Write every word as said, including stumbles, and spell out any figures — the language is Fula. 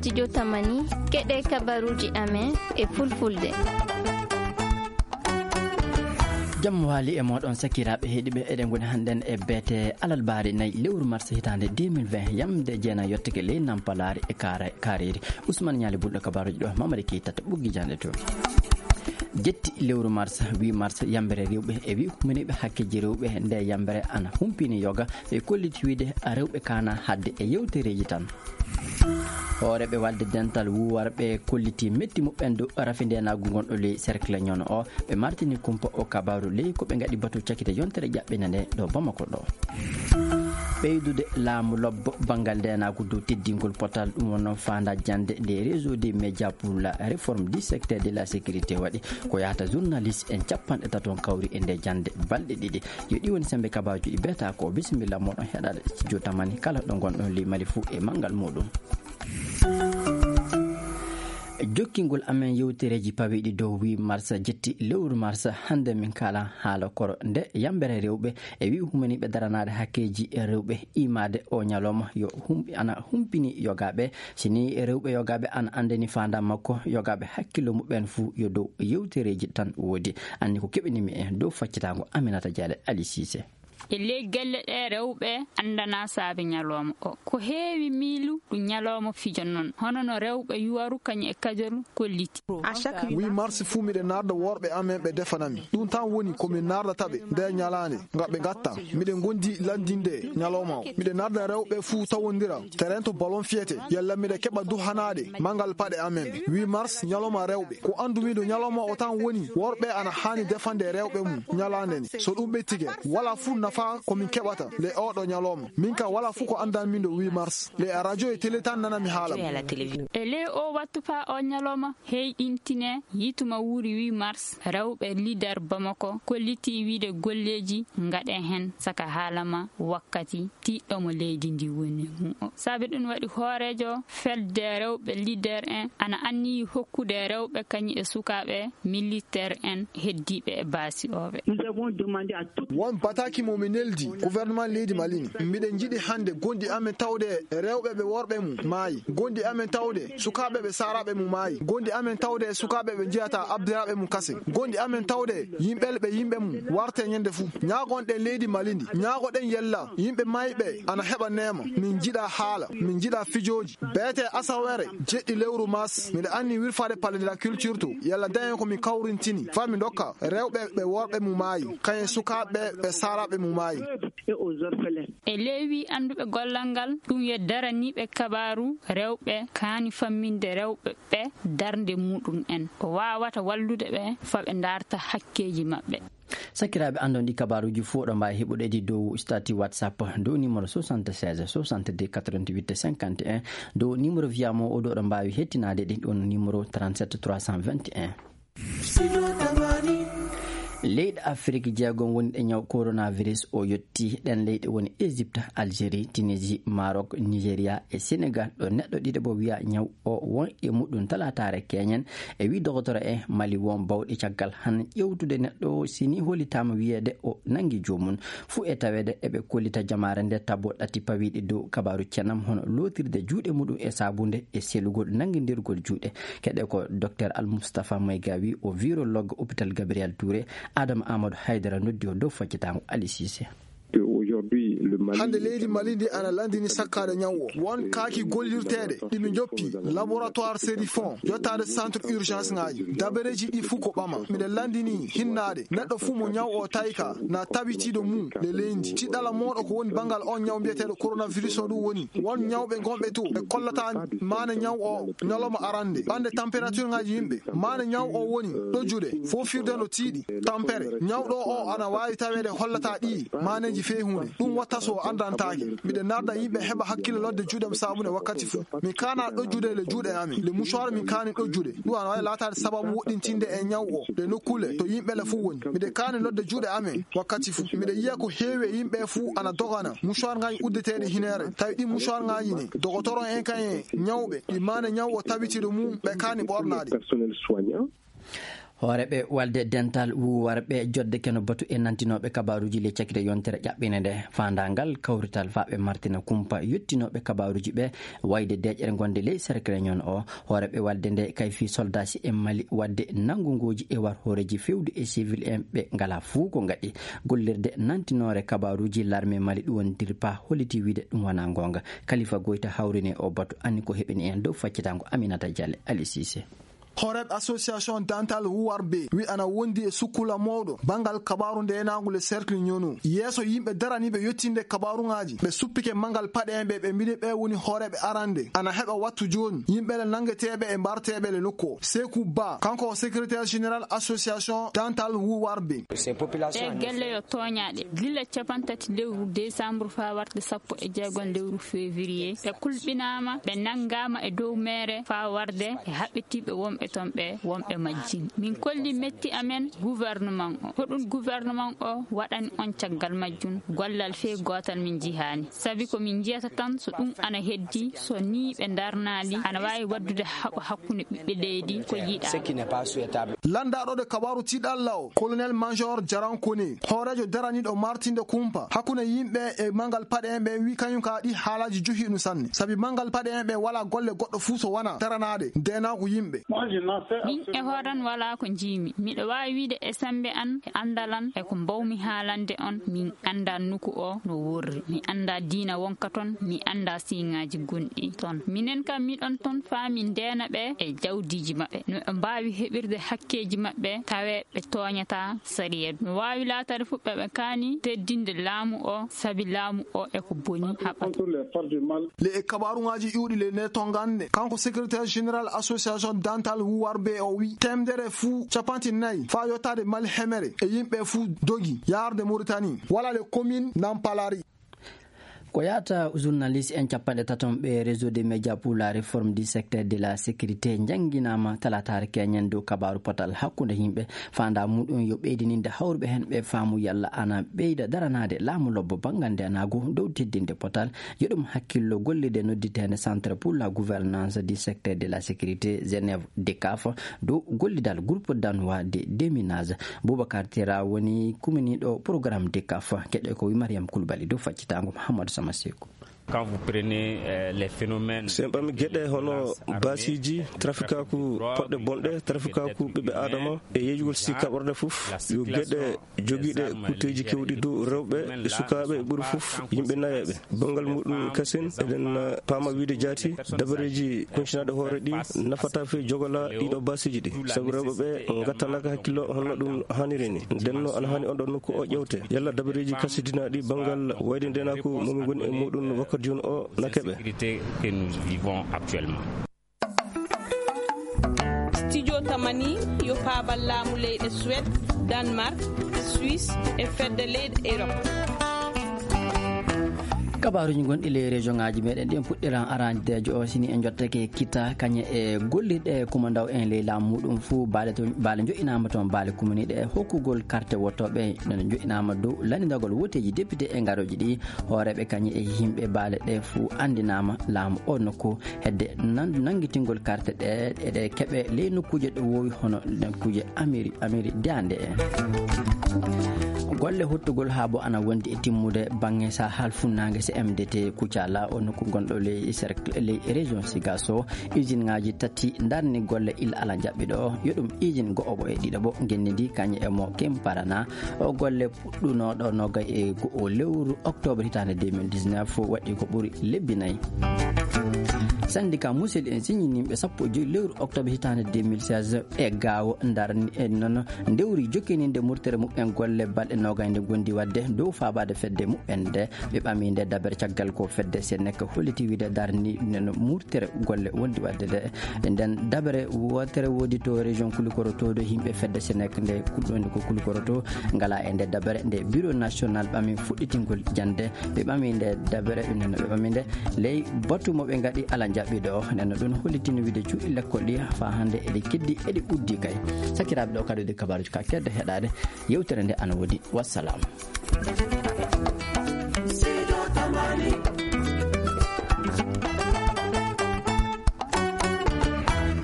Studio Tamani, keɗe kabaruuji amen e fulfulde. Jam waali e mooɗon sakiraaɓe heɗiɓe, eɗen ngoni hannden e beete alalbaari nayi lewru mars hitaande deux mille vingt, yamde jeenayi yottake ley Nampalaari e Kaara-, Kaareeri. Usman Ñaali Bulɗo kabaruuji ɗo, Mamadi Keita to ɓoggi jannde to. Jetti lewru mars, huit mars, yambere rewɓe e wi humaniiɓe hakkeeji rewɓe. Nde yambere ana humpini yoga, ɓe kolliti wiide rewɓe kaana hadde e yewtereeji tan. Hooreeɓe walde dental wuuwarɓe kolliti metti muɓɓen dow rafi ndeenaagu ngonɗo ley cercle Ñono o. Ɓe martini kumpa o kabaaru ley ko ɓe ngaɗi batu cakite yontere ƴaɓɓinde nde ɗo Bamako ɗo. Ɓeydude laamu lobbo banngal ndeenaagu dow teddingol potal, ɗum wonno faanda jannde nde Réseau des médias pour la réforme du secteur de la sécurité waɗi ko yahata journaliste en capanɗe tato on kawri e nde jannde balɗe ɗiɗi. Yo ɗi woni sembe kabaaruuji ɗi beeta ko. Bisimilla moɗon heɗaɗo studio Tamani kala ɗo ngonɗon ley Mali fuu e manngal muɗum. Jokkingol amen yewtereeji pawiiɗi dow huit mars jetti lewru mars, hannde min kaala haala koro nde yambere rewɓe e wi humaniiɓe daranaade hakkeeji rewɓe imaade o ñalawma yo hum-, ana humpini yogaaɓe. Si ni rewɓe yogaaɓe ana anndani faandaam makko, yogaaɓe hakkillo muɓɓen fuu yo dow yewtereeji tan woodi. Anni ko keɓinimi en dow faccitaango Aminata Diallo Ali Cissé. E ley gelle ɗe rewɓe anndana saabe ñalawma o. Ko heewi miilu ɗum ñalawma fijo noon. Hono no rewɓe yuwaru kañum e kajol kolliti. Huit mars fuu miɗen naarda worɓe amen ɓe defanami. Ɗum tan woni ko min naardata ɓe nder ñalaande ngam ɓe ngatta. Miɗen ngondi lanndinde ñalawma o. Miɗen naarda rewɓe fuu tawondira terrain to ballon fiyete. Yalla miɗen keɓa duhanaaɗe manngal paɗe amen. Huit mars ñalawma rewɓe. Ko anndumi dow ñalawma o tan woni worɓe ana haani defande rewɓe mum ñalaande nde. So ɗum ɓettike, wala fuu nafa ko min keɓata le oɗo ñalawma. Min ka wala fuu ko anndan min dow huit mars. Le radio e télé tan nanami haala mum. E ley o wattu faa o ñalawma heyɗintine yituma wuuri huit mars, rewɓe leader Bamako kolliti wiide golleeji ngaɗe heen saka haala ma wakkati tiiɗɗo mo leydi ndi woni mum o. Saabe ɗum waɗi hooreejo felde rewɓe leader en ana anniyi hokkude rewɓe kañum e sukaaɓe militeer en heddiiɓe e baasi ooɓe. Won bataaki mo mi neldi gouvernement leydi Mali ni. Miɗen njiɗi hannde gondi amen tawde rewɓe ɓe worɓe mum maayi. Gondi amen tawde sukaaɓe ɓe saaraaɓe mum maayi. Gondi amen tawde sukaaɓe ɓe njiyata abdiraaɓe mum kasen. Gondi amen tawde yimɓe ɓe yimɓe mum warte ñande fuu. Ñaagonɗen leydi Mali ndi. Ñaagoɗen yella yimɓe mayɓe ana heɓa neema. Min njiɗa haala, min njiɗa fijooji. Beete asawere jeɗɗi lewru mars, miɗo anni wirfaade Palais de la Culture to. Yalla dañen ko min kawrintini. Faa min ndokka rewɓe ɓe worɓe mum maayi. Kañum sukaaɓe ɓe saaraaɓe mum maayi. E ley wi annduɓe gollal ngal, ɗum yo daraniiɓe kabaaru rewɓe kaani famminde rewɓe ɓe darnde muɗum en. Ko waawata wallude ɓe faa ɓe ndaarta hakkeeji maɓɓe. Sakiraaɓe, anndon ɗi kabaaruuji fuu oɗon mbaawi heɓude ɗi dow statut WhatsApp dow numéro soixante-seize soixante-deux quatre-vingt-huit cinquante et un, dow numéro via mo o ɗo oɗon mbaawi hettinaade ɗi ɗon numéro trente-sept trois cent vingt et un. Leyɗe Afrik jeegom woni ɗe ñaw coronavirus o yotti. Ɗen leyɗe woni Égypte, Algérie, Tunisie, Maroc, Nigeria e Sénégal, ɗo neɗɗo ɗiɗaɓo wiya ñaw o won e muɗum talaataare keñen. E wi dogotoro e Mali won bawɗe caggal han ƴewtude neɗɗo o, si ni hollitaama wiyeede o nangi joomum. Fuu e taweede eɓe kollita jamaare nde tabo ɗati pawiiɗi dow kabaaru cenam, hono lootirde juuɗe muɗum e saabunde e selugol nangindirgol juuɗe. Keɗe ko Docteur Al Mustafa Maygawi, o virologue hôpital Gabriel Touré, Adama Amadou Haydara noddi o dow faccitaango Ali Cissé. Hannde leydi Mali ndi ana lanndini sakkaade ñaw o. Won kaaki gollirteeɗe ɗi mi joppi, laboratoire Serifon, yottaade centre urgence ŋaaji. Dabareeji ɗi fuu ko ɓama. Miɗen lanndini hinnaade neɗɗo fuu mo ñaw o tawi ka na tabitiiɗo mum le leydi. Tiɗɗala mooɗo ko woni banngal on ñaw mbiyeteeɗo coronavirus o ɗum woni. Won ñawɓe gonɓe to ɓe kollata maane ñaw o ñalawma arande. Ɓande température ŋaaji yimɓe. Maane ñaw o woni ɗojjude, foofirde no tiiɗi. Tampere, ñawɗo o ana waawi taweede hollata ɗi maaneeji fey huunde. Ɗum watta so o anndantaake. Miɗen naarda yimɓe heɓa hakkille lodde juuɗe mum saabune wakkati fuu. Min kaana ɗojjude le juuɗe amen. Le mouchoir min kaani ɗojjude. Ɗum ana waawi laataade sababu woɗɗintinde e ñaw o le nokkuule to yimɓe le fuu woni. Miɗen kaani lodde juuɗe amen wakkati fuu. Miɗen yiya ko heewi e yimɓe fuu ana dogana mouchoir ŋaaji uddeteeɗi hineere. Tawi ɗin mouchoir ŋaaji ne, dogotoro en kañum e ñawɓe, ɗi maane ñaw o tabitiiɗo mum, ɓe kaani ɓornaade. Hooreeɓe walde dental wuuwarɓe jodde keno batu e nantinooɓe kabaaruuji ley cakite yontere ƴaɓɓinde nde. Faandaangal kawrital faa ɓe martina kumpa yottinooɓe kabaaruuji ɓe wayde deeƴere ngonde ley Cercle Réunion o. Hooreeɓe walde nde kay fii soldaasi e Mali wadde nanngungooji e war hooreeji fewdu e civil en ɓe ngalaa fuu ko ngaɗi. Gollirde nantinoore kabaaruuji larme Mali ɗum woni DIRPA holliti wiide ɗum wonaa ngoonga. Kalifa Goyta hawrini o batu anni ko heɓini en dow faccitaango Aminata Diallo Ali Cissé. Hooreeɓe association dental wuwarɓe wi ana wondi e sukkula mawɗo banngal kabaaru ndeenaagu le Cercle Ñono. Yeeso yimɓe daraniiɓe yottinde kabaaruŋaaji, ɓe suppike manngal paɗe en ɓe, ɓe mbini ɓe woni hooreeɓe arande. Ana heɓa wattu jooni yimɓe le nanngeteeɓe e mbarteeɓe le nokku o. Seeku Ba, kanko o secrétaire général association dental wuwarɓe. Ɗee gelle yo tooñaaɗe. Gila capantati lewru décembre faa warde sappo e jeegom lewru février, ɓe kulɓinaama, ɓe nanngaama e dow meere faa warde e haɓɓitiiɓe wonɓe toon ɓe, wonɓe majjin. Min kolli metti amen gouvernement o. Hoɗum gouvernement o waɗani on caggal majjum? Gollal fee gootal min njihaani. Sabi ko min njiyata tan, so ɗum ana heddi, so nii ɓe ndarnaali, ana waawi waɗdude haɓo hakkunde ɓiɓɓe leydi ko yiɗaa. Lanndaaɗo ɗe kabaaru tiiɗalla o, colonel major Jarankone, hooreejo daraniiɗo martinde kumpa hakkunde yimɓe e manngal paɗe en ɓe, wi kañum ka ɗi haalaaji johi ɗum sanne. Sabi manngal paɗe en ɓe walaa golle goɗɗo fuu so wonaa daranaade ndeenaagu yimɓe. Min e hooran walaa ko njiimi. Miɗo waawi wiide e semmbe an, e anndal an, e ko mbaawmi haalande on, min anndaa nuku o no worri. Mi anndaa diina wonka toon, mi anndaa siiŋaaji gonɗi toon. Minen kam miɗon toon faa min ndeena ɓe e jawdiiji maɓɓe. No ɓe mbaawi heɓirde hakkeeji maɓɓe, tawee ɓe tooñataa sariya. No waawi laataade fof ɓe, ɓe kaani teddinde laamu o, sabi laamu o e ko boni haɓata. Le e kabaaruŋaaji iwɗi le ne tonganne, kanko secrétaire général association dental wuwarɓe o wi teemedere fuu capanti nayi faa yottaade Mali hemere e yimɓe fuu dogi yaarde Mauritanie, walla le commune Nampalari. Ko yahata journaliste en capanɗe taton ɓe Réseau des médias pour la réforme du secteur de la sécurité njannginaama talaataare keñen dow kabaaru potal hakkunde yimɓe. Faandaa muɗum yo ɓeydininde hawruɓe heen ɓe faamu yalla ana ɓeyda daranaade laamu lobbo banngal ndeenaagu dow teddinde potal. Yo ɗum hakkillo gollirde nodditeende Centre pour la gouvernance du secteur de la sécurité Genève, DECAF, dow gollidal groupe danois de déminage. Boubacar Tera woni kuminiiɗo programme DECAF. Keɗe ko wi Mariam Koulibaly dow faccitaango Mouhamadou Sama Sekou. Quand vous prenez, euh, les phénomènes, so en ɓami geɗe hono baasiiji, trafikaaku poɗɗe bonɗe, trafikaaku ɓiɓɓe aadama e yeeyugol si kaɓorde fof, yo geɗe jogiiɗe kutteeji kewɗi dow rewɓe e sukaaɓe e ɓuri fof yimɓe nayeeɓe. Banngal muɗum kasen, eɗen, uh, paama wiide jaati, dabareeji kuñcinaaɗe hoore ɗi nafata fee jogola ɗiɗo baasiiji ɗi. Sabu rewɓe ɓe ngattanaaka hakkillo hono ɗum haaniri ni. Nden no ana haani on ɗon nokku o ƴewte. Yalla dabareeji kasidinaaɗi banngal wayde ndeenaaku mo min ngoni e muɗum wakkati jooni o na keɓe. Sécurité que nous vivons actuellement. Studio Tamani yo paabal laamu leyɗe Suède, Danemark, Suisse e fedde leyɗe Europe. Kabaaruuji gonɗi ley région ŋaaji meɗen ɗin puɗɗiran arandeejo o, sini en jottake kita kañe e gollirɗe kumandaw en ley laamu muɗum fuu baale to, baale joɗɗinaama toon, baale kuminiiɗe e hokkugol karte wottooɓe no joɗɗinaama dow lanndagol woteeji député e ngarooji ɗi. Hooreeɓe kañe e yimɓe baale ɗe fuu anndinaama laamu o nokku hedde nan-, nanngitingol karte ɗe, eɗe keɓe ley nokkuuje ɗo woowi hono nokkuuje Ameri-, Ameri Daande en. Golle hottugol haabo ana wondi e timmude baŋŋe Sahal Funnaange C M D T Kucala o nokku gonɗo ley cercle, ley région Sigaso. Usine ŋaaji tati ndarni golle ila ala jaɓɓiɗo. Yo ɗum usine go'oɓo e ɗiɗoɓo genndi ndi kañe e mo Kemparana. O golle puɗɗunooɗo nogay e go'o lewru octobre hitaande deux mille dix-neuf waɗi ko ɓuri lebbi nayi. Syndicat Musel en siñininɓe sappo e joy lewru octobre hitaande deux mille seize e Gaawo ndarni en noon ndewri jokkininde murtere muɓɓen golle balɗe nogay nde gondi waɗde dow faabaade fedde muɓɓen nde. Ɓe ɓami nde dabere caggal ko fedde Senec holliti wiide darni noon murtere golle wondi waɗde nde. Nden dabere wootere woodi to région Kulikoro to, ɗo yimɓe fedde Senec nde kulɗo nde ko Kulikoro to ngala e nde dabere nde Bureau National ɓami fuɗɗitingol jannde. Ɓe ɓami nde dabere, ɓe ɓami nde ley batu mo ɓe ngaɗi ala jaɓɓiɗo. Nden no ɗum hollitini wiide cuuɗi lekkol ɗi faa hannde eɗi keddi, eɗi uddi kay. Sakiraaɓe, ɗo kadi woni kabaaruuji ka kedde heɗaade. Yewtere nde ana woodi. Wassalam.